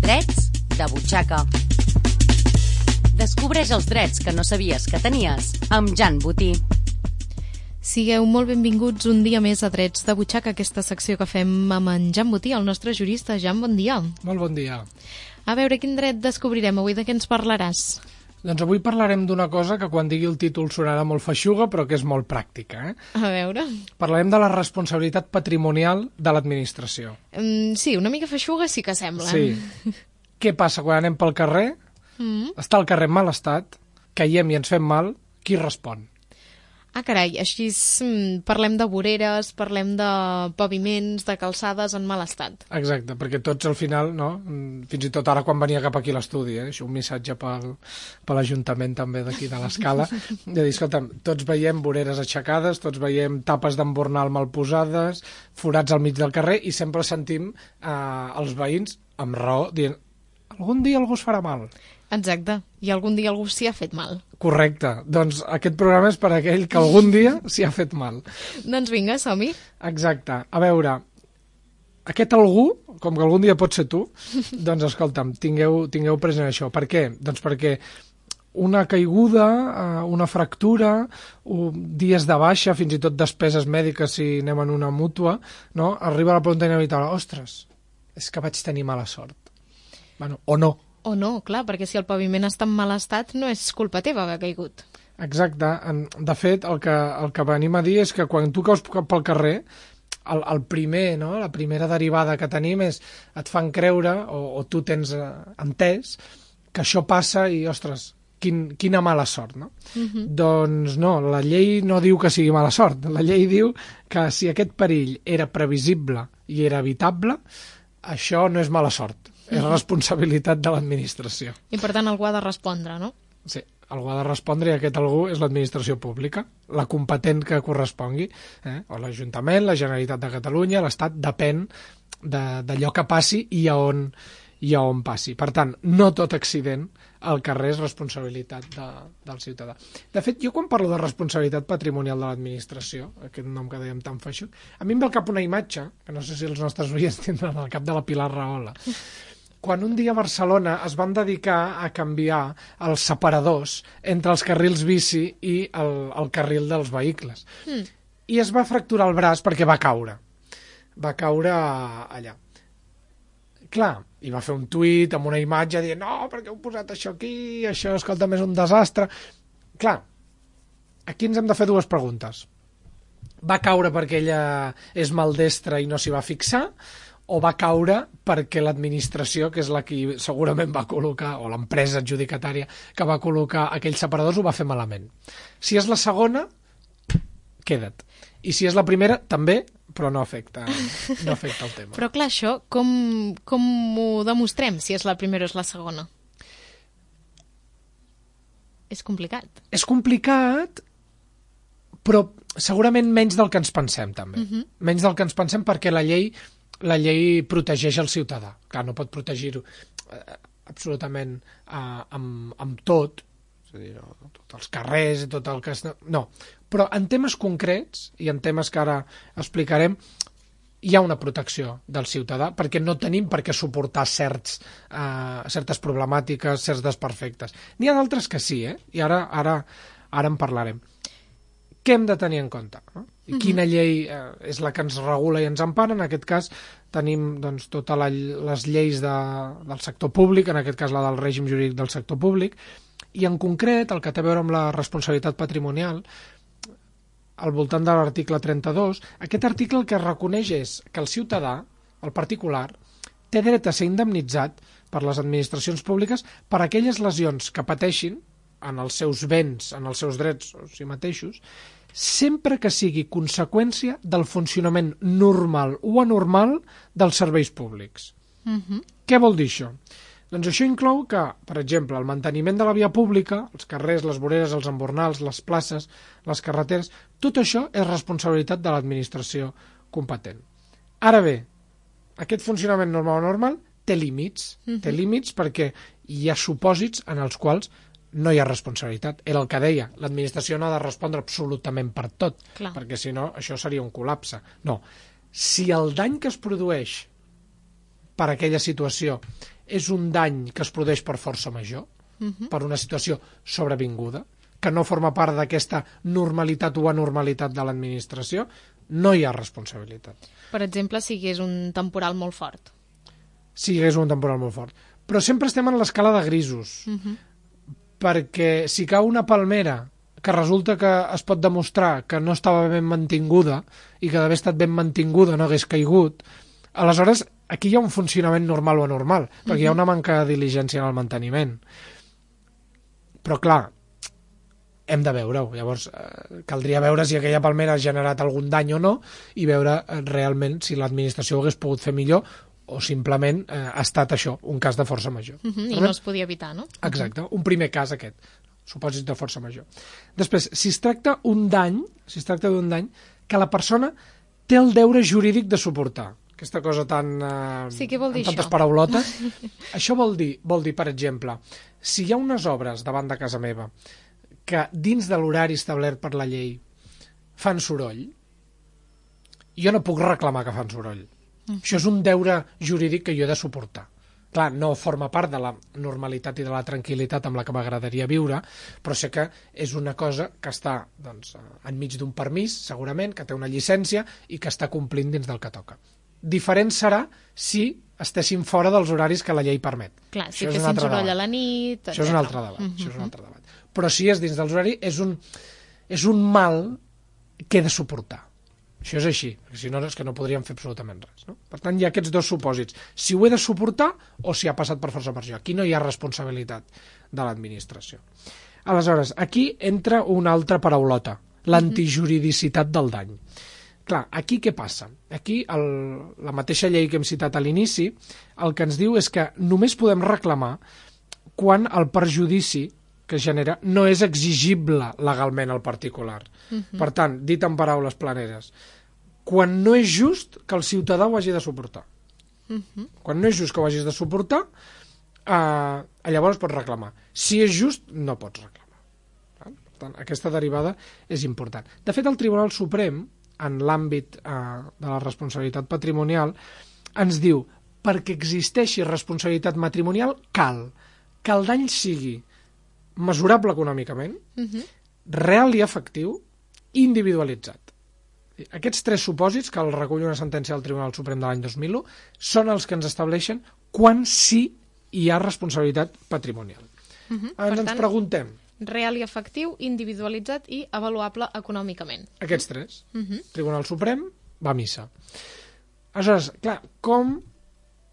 Drets de butxaca. Descobreix els drets que no sabies que tenies amb Jan Botí. Sigueu molt benvinguts un dia més a Drets de butxaca, aquesta secció que fem amb en Jan Botí, el nostre jurista. Jan, bon dia. Molt bon dia. A veure, quin dret descobrirem avui? De què ens parlaràs? Doncs avui parlarem d'una cosa que quan digui el títol sonarà molt feixuga, però que és molt pràctica. A veure... Parlarem de la responsabilitat patrimonial de l'administració. Sí, una mica feixuga sí que sembla. Sí. Què passa quan anem pel carrer? Està el carrer en mal estat, caiem i ens fem mal, qui respon? Ah, carai, així parlem de voreres, parlem de paviments, de calçades en mal estat. Exacte, perquè tots al final, no? Fins i tot ara quan venia cap aquí a l'estudi, això un missatge per l'Ajuntament també d'aquí de l'Escala, de dir, escolta'm, tots veiem voreres aixecades, tots veiem tapes d'embornal mal posades, forats al mig del carrer, i sempre sentim els veïns, amb raó, dient, algun dia algú es farà mal. Exacte, i algun dia algú s'hi ha fet mal. Correcte, doncs aquest programa és per a aquell que algun dia s'hi ha fet mal. Doncs vinga, som-hi. Exacte, a veure, aquest algú, com que algun dia pot ser tu, doncs escolta'm, tingueu present això. Per què? Doncs perquè una caiguda, una fractura, dies de baixa, fins i tot despeses mèdiques si anem en una mútua, no? Arriba a la pregunta inevitable, ostres, és que vaig tenir mala sort. Bueno, o no. O no, clar, perquè si el paviment està en mal estat no és culpa teva haver caigut. Exacte. De fet, el que venim a dir és que quan tu caus pel carrer, el primer, no? La primera derivada que tenim és et fan creure, o tu tens entès, que això passa i, ostres, quina mala sort, no? Doncs no, la llei no diu que sigui mala sort. La llei diu que si aquest perill era previsible i era evitable, això no és mala sort. És responsabilitat de l'administració. I per tant algú ha de respondre, no? Sí, algú ha de respondre i aquest algú és l'administració pública, la competent que correspongui, o l'Ajuntament, la Generalitat de Catalunya, l'Estat, depèn d'allò que passi i a on passi. Per tant, no tot accident al carrer és responsabilitat del ciutadà. De fet, jo quan parlo de responsabilitat patrimonial de l'administració, aquest nom que dèiem tan feixuc, a mi em ve al cap una imatge, que no sé si els nostres oients tindran al cap, de la Pilar Rahola, quan un dia a Barcelona es van dedicar a canviar els separadors entre els carrils bici i el carril dels vehicles. I es va fracturar el braç perquè va caure. Va caure allà. Clar, i va fer un tuit amb una imatge dient no, perquè heu posat això aquí, això, escolta'm, és un desastre. Clar, aquí ens hem de fer dues preguntes. Va caure perquè ella és maldestra i no s'hi va fixar, o va caure perquè l'administració, que és la que segurament va col·locar, o l'empresa adjudicatària que va col·locar aquells separadors, ho va fer malament. Si és la segona, queda't. I si és la primera, també, però no afecta el tema. Però clar, això, com ho demostrem, si és la primera o és la segona? És complicat. És complicat, però segurament menys del que ens pensem, també. Menys del que ens pensem, perquè la llei protegeix el ciutadà. Clar, no pot protegir-ho absolutament amb tot, és a dir, tots els carrers, tot el que... No, però en temes concrets, i en temes que ara explicarem, hi ha una protecció del ciutadà, perquè no tenim per què suportar certes problemàtiques, certs desperfectes. N'hi ha d'altres que sí, i ara en parlarem. Què hem de tenir en compte? No? I quina llei és la que ens regula i ens empara? En aquest cas tenim doncs, totes les lleis del sector públic, en aquest cas la del règim jurídic del sector públic, i en concret el que té a veure amb la responsabilitat patrimonial, al voltant de l'article 32, aquest article el que reconeix és que el ciutadà, el particular, té dret a ser indemnitzat per les administracions públiques per aquelles lesions que pateixin en els seus béns, en els seus drets o si mateixos, sempre que sigui conseqüència del funcionament normal o anormal dels serveis públics. Què vol dir això? Doncs això inclou que, per exemple, el manteniment de la via pública, els carrers, les voreres, els embornals, les places, les carreteres, tot això és responsabilitat de l'administració competent. Ara bé, aquest funcionament normal o normal té límits. Té límits perquè hi ha supòsits en els quals no hi ha responsabilitat. Era el que deia, l'administració no ha de respondre absolutament per tot, perquè si no això seria un col·lapse. No, si el dany que es produeix per aquella situació és un dany que es produeix per força major, per una situació sobrevinguda, que no forma part d'aquesta normalitat o anormalitat de l'administració, no hi ha responsabilitat. Per exemple, si hi hagués un temporal molt fort. Si hi hagués un temporal molt fort. Però sempre estem en l'escala de grisos, perquè si cau una palmera que resulta que es pot demostrar que no estava ben mantinguda i que d'haver estat ben mantinguda no hagués caigut, aleshores aquí hi ha un funcionament normal o anormal, perquè hi ha una manca de diligència en el manteniment. Però clar, hem de veure-ho. Llavors, caldria veure si aquella palmera ha generat algun dany o no i veure realment si l'administració ho hagués pogut fer millor o simplement ha estat això, un cas de força major. I no es podia evitar, no? Exacte, un primer cas aquest, supòsit de força major. Després, si es tracta d'un dany que la persona té el deure jurídic de suportar, aquesta cosa tan... Sí, què vol dir amb tantes això? paraulotes. Això vol dir, per exemple, si hi ha unes obres davant de casa meva que dins de l'horari establert per la llei fan soroll, jo no puc reclamar que fan soroll. Això és un deure jurídic que jo he de suportar. Clar, no forma part de la normalitat i de la tranquil·litat amb la que m'agradaria viure, però sé que és una cosa que està enmig d'un permís, segurament, que té una llicència i que està complint dins del que toca. Diferent serà si estessin fora dels horaris que la llei permet. Clar, si fessin soroll a la nit... Això és un altre debat. Però si és dins dels horaris, és un mal que he de suportar. Això és així, perquè si no és que no podríem fer absolutament res. No? Per tant, hi ha aquests dos supòsits. Si ho he de suportar o si ha passat per força major. Aquí no hi ha responsabilitat de l'administració. Aleshores, aquí entra una altra paraulota, l'antijuridicitat del dany. Clar, aquí què passa? Aquí la mateixa llei que hem citat a l'inici el que ens diu és que només podem reclamar quan el perjudici que es genera no és exigible legalment al particular. Per tant, dit en paraules planeres, quan no és just que el ciutadà ho hagi de suportar. Quan no és just que ho hagis de suportar, llavors pots reclamar. Si és just, no pots reclamar. Per tant, aquesta derivada és important. De fet, el Tribunal Suprem, en l'àmbit de la responsabilitat patrimonial, ens diu perquè existeixi responsabilitat matrimonial cal que el dany sigui mesurable econòmicament, real i efectiu, individualitzat. Aquests tres supòsits, que el recull una sentència del Tribunal Suprem de l'any 2001, són els que ens estableixen quan sí hi ha responsabilitat patrimonial. Ens preguntem... Real i efectiu, individualitzat i avaluable econòmicament. Aquests tres. Tribunal Suprem va a missa. Aleshores, clar, com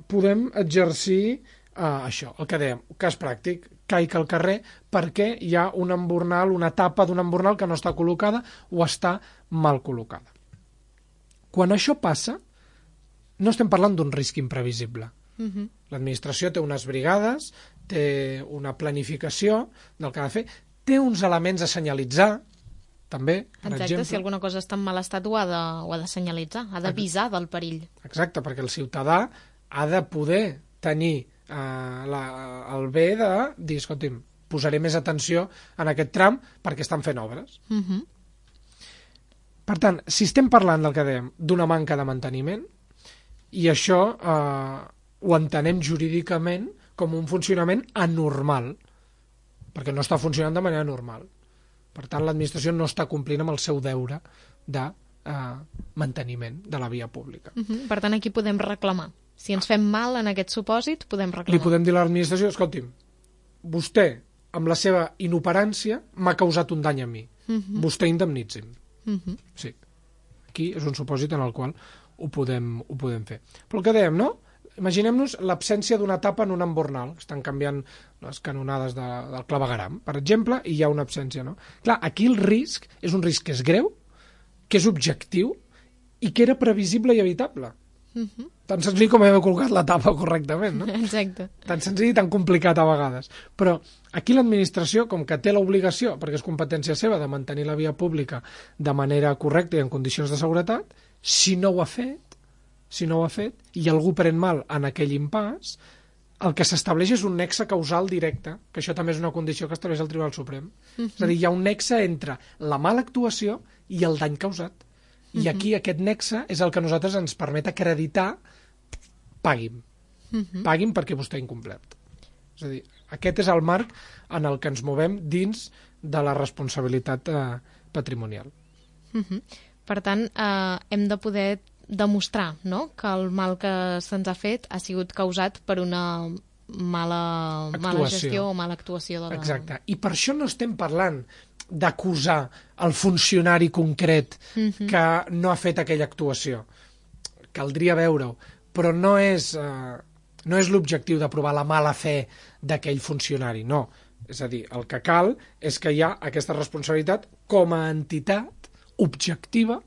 podem exercir això, el que dèiem, cas pràctic, caic al carrer perquè hi ha un embornal, una tapa d'un embornal que no està col·locada o està mal col·locada. Quan això passa, no estem parlant d'un risc imprevisible. L'administració té unes brigades, té una planificació del que ha de fer, té uns elements a senyalitzar, també, per exemple. Exacte, si alguna cosa està en mal estat ho ha de senyalitzar, ha d'avisar del perill. Exacte, perquè el ciutadà ha de poder tenir el bé de dir, escolti'm, posaré més atenció en aquest tram perquè estan fent obres. Per tant, si estem parlant del que dèiem, d'una manca de manteniment, i això ho entenem jurídicament com un funcionament anormal, perquè no està funcionant de manera normal. Per tant, l'administració no està complint amb el seu deure de manteniment de la via pública. Per tant, aquí podem reclamar. Si ens fem mal en aquest supòsit, podem reclamar. Li podem dir a l'administració, escolti'm, vostè, amb la seva inoperància, m'ha causat un dany a mi. Vostè indemnitzi'm. Sí. Aquí és un supòsit en el qual ho podem fer. Però el que dèiem, no? Imaginem-nos l'absència d'una tapa en un embornal. Estan canviant les canonades del clavegueram, per exemple, i hi ha una absència, no? Clar, aquí el risc és un risc que és greu, que és objectiu i que era previsible i evitable. Tan senzill com haver col·locat la tapa correctament, no? Exacte. Tan senzill i tan complicat a vegades. Però aquí l'administració, com que té l'obligació, perquè és competència seva, de mantenir la via pública de manera correcta i en condicions de seguretat, si no ho ha fet, i algú pren mal en aquell impàs, el que s'estableix és un nexe causal directe, que això també és una condició que estableix el Tribunal Suprem. És a dir, hi ha un nexe entre la mala actuació i el dany causat. I aquí aquest nexe és el que a nosaltres ens permet acreditar pagui'm. Paguin perquè vostè ha incomplert. És a dir, aquest és el marc en el que ens movem dins de la responsabilitat patrimonial. Per tant, hem de poder demostrar, no?, que el mal que se'ns ha fet ha sigut causat per una mala gestió o mala actuació de la... Exacte. I per això no estem parlant d'acusar el funcionari concret que no ha fet aquella actuació. Caldria veure-ho, però no és l'objectiu de provar la mala fe d'aquell funcionari, no. És a dir, el que cal és que hi ha aquesta responsabilitat com a entitat objectiva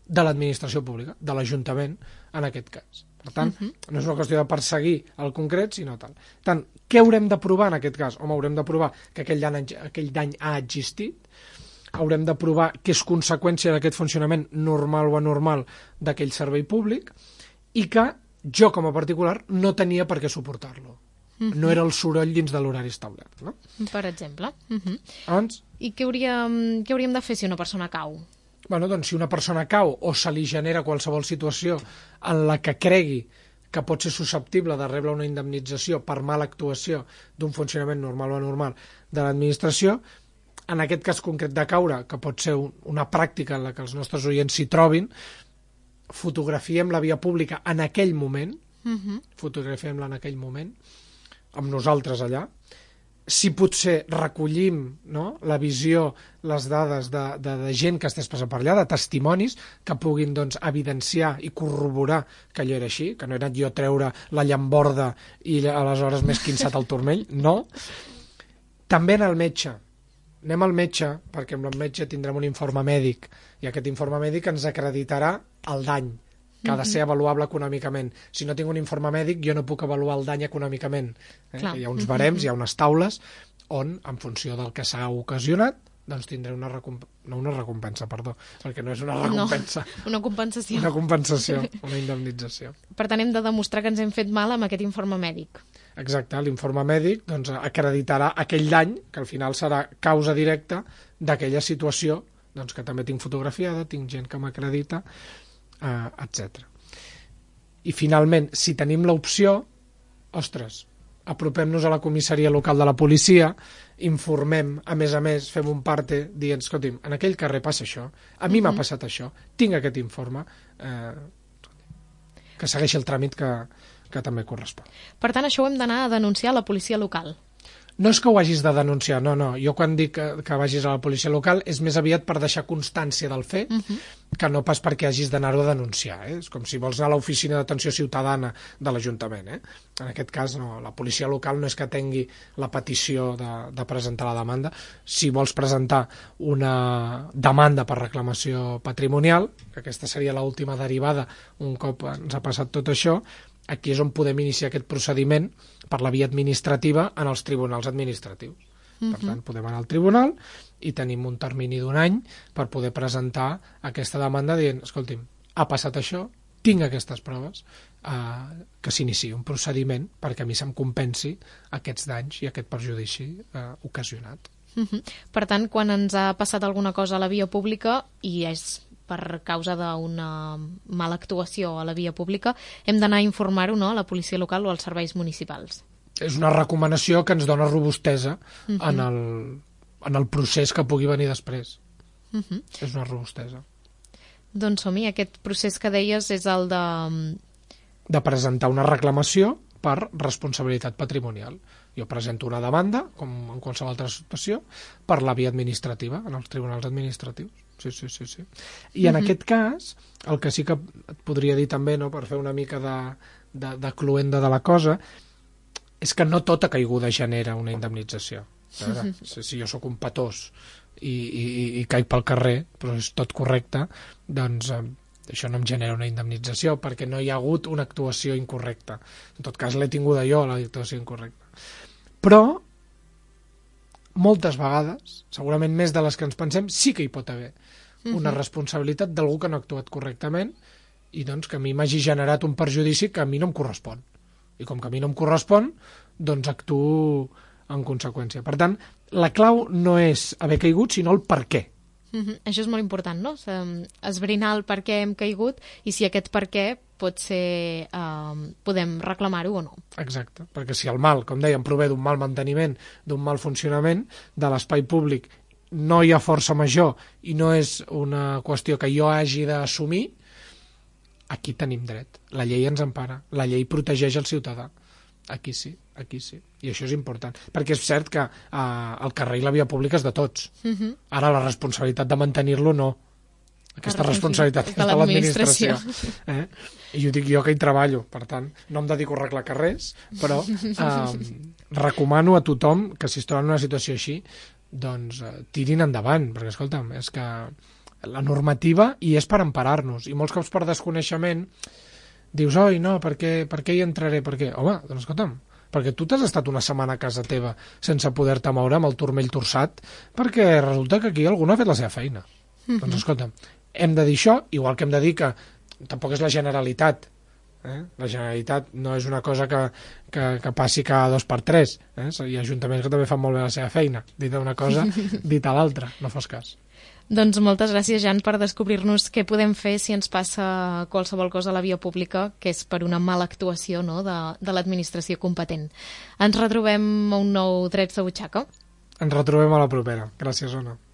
de l'administració pública, de l'Ajuntament, en aquest cas. Per tant, no és una qüestió de perseguir el concret, sinó tal. Per tant, què haurem de provar en aquest cas? Home, haurem de provar que aquell dany ha existit, haurem de provar que és conseqüència d'aquest funcionament normal o anormal d'aquell servei públic i que jo, com a particular, no tenia per què suportar-lo. No era el soroll dins de l'horari establert, no? Per exemple. Llavors, I què hauríem de fer si una persona cau? Bueno, doncs, si una persona cau o se li genera qualsevol situació en la que cregui que pot ser susceptible de rebre una indemnització per mala actuació d'un funcionament normal o anormal de l'administració, en aquest cas concret de caure, que pot ser una pràctica en la que els nostres oients s'hi trobin, fotografiem la via pública en aquell moment, fotografiem-la en aquell moment, amb nosaltres allà. Si potser recollim, no?, la visió, les dades de gent que estès passant per allà, de testimonis que puguin, doncs, evidenciar i corroborar que allò era així, que no era jo treure la llamborda i aleshores m'he esquinçat el turmell, no. També en el metge. Anem al metge, perquè amb el metge tindrem un informe mèdic, i aquest informe mèdic ens acreditarà el dany, que ha de ser avaluable econòmicament. Si no tinc un informe mèdic, jo no puc avaluar el dany econòmicament. Hi ha uns barems, hi ha unes taules, on, en funció del que s'ha ocasionat, doncs tindré una recompensa, perquè no és una recompensa. No, una compensació. Una compensació, una indemnització. Per tant, hem de demostrar que ens hem fet mal amb aquest informe mèdic. Exacte, l'informe mèdic doncs, acreditarà aquell dany, que al final serà causa directa d'aquella situació, doncs, que també tinc fotografiada, tinc gent que m'acredita, etc. I finalment, si tenim l'opció, ostres, apropem-nos a la comissaria local de la policia, informem, a més, fem un parte dient, escolti'm, en aquell carrer passa això, a mi m'ha passat això, tinc aquest informe, que segueixi el tràmit que també correspon. Per tant, això ho hem d'anar a denunciar a la policia local. No és que ho hagis de denunciar, no. Jo quan dic que vagis a la policia local és més aviat per deixar constància del fet, que no pas perquè hagis d'anar-ho a denunciar. És com si vols anar a l'oficina d'atenció ciutadana de l'Ajuntament. En aquest cas, no. La policia local no és que tingui la petició de presentar la demanda. Si vols presentar una demanda per reclamació patrimonial, que aquesta seria l'última derivada un cop ens ha passat tot això, aquí és on podem iniciar aquest procediment per la via administrativa en els tribunals administratius. Per tant, podem anar al tribunal i tenim un termini d'1 any per poder presentar aquesta demanda dient, escolti'm, ha passat això, tinc aquestes proves, que s'iniciï un procediment perquè a mi se'm compensi aquests danys i aquest perjudici ocasionat. Per tant, quan ens ha passat alguna cosa a la via pública i és per causa d'una mala actuació a la via pública, hem d'anar a informar-ho, no?, a la policia local o als serveis municipals. És una recomanació que ens dona robustesa en el procés que pugui venir després. És una robustesa. Doncs som-hi, aquest procés que deies és el de... De presentar una reclamació per responsabilitat patrimonial. Jo presento una demanda, com en qualsevol altra situació, per la via administrativa, en els tribunals administratius. Sí. I en aquest cas, el que sí que et podria dir també, no, per fer una mica de cluenda de la cosa, és que no tota caiguda genera una indemnització. Si jo sóc un patós i caic pel carrer, però és tot correcte, doncs això no em genera una indemnització, perquè no hi ha hagut una actuació incorrecta. En tot cas, l'he tinguda jo, l'actuació incorrecta. Però, moltes vegades, segurament més de les que ens pensem, sí que hi pot haver una responsabilitat d'algú que no ha actuat correctament i doncs que a mi m'hagi generat un perjudici que a mi no em correspon. I com que a mi no em correspon, doncs actuo en conseqüència. Per tant, la clau no és haver caigut, sinó el per què. Això és molt important, no? Esbrinar el per què hem caigut i si aquest per què potser podem reclamar-ho o no. Exacte, perquè si el mal, com dèiem, prové d'un mal manteniment, d'un mal funcionament de l'espai públic, no hi ha força major i no és una qüestió que jo hagi d'assumir, aquí tenim dret. La llei ens empara, la llei protegeix el ciutadà. Aquí sí, i això és important, perquè és cert que el carrer i la via pública és de tots. Ara la responsabilitat de mantenir-lo no. Aquesta responsabilitat és de l'administració. I ho dic jo que hi treballo, per tant, no em dedico a arreglar carrers, però recomano a tothom que si es troben en una situació així, doncs tirin endavant, perquè escolta'm, és que la normativa hi és per emparar-nos, i molts cops per desconeixement dius, oi, no, per què hi entraré? Per què? Home, doncs escolta'm, perquè tu t'has estat una setmana a casa teva sense poder-te moure amb el turmell torçat perquè resulta que aquí algú no ha fet la seva feina. Doncs escolta'm, hem de dir això, igual que hem de dir que tampoc és la Generalitat. La Generalitat no és una cosa que passi cada 2 per 3. Hi ha ajuntaments que també fan molt bé la seva feina. Dit una cosa, dit a l'altra, no fos cas. Doncs moltes gràcies, Jan, per descobrir-nos què podem fer si ens passa qualsevol cosa a la via pública, que és per una mala actuació, no?, de l'administració competent. Ens retrobem a un nou Drets de Butxaca. Ens retrobem a la propera. Gràcies, Ona.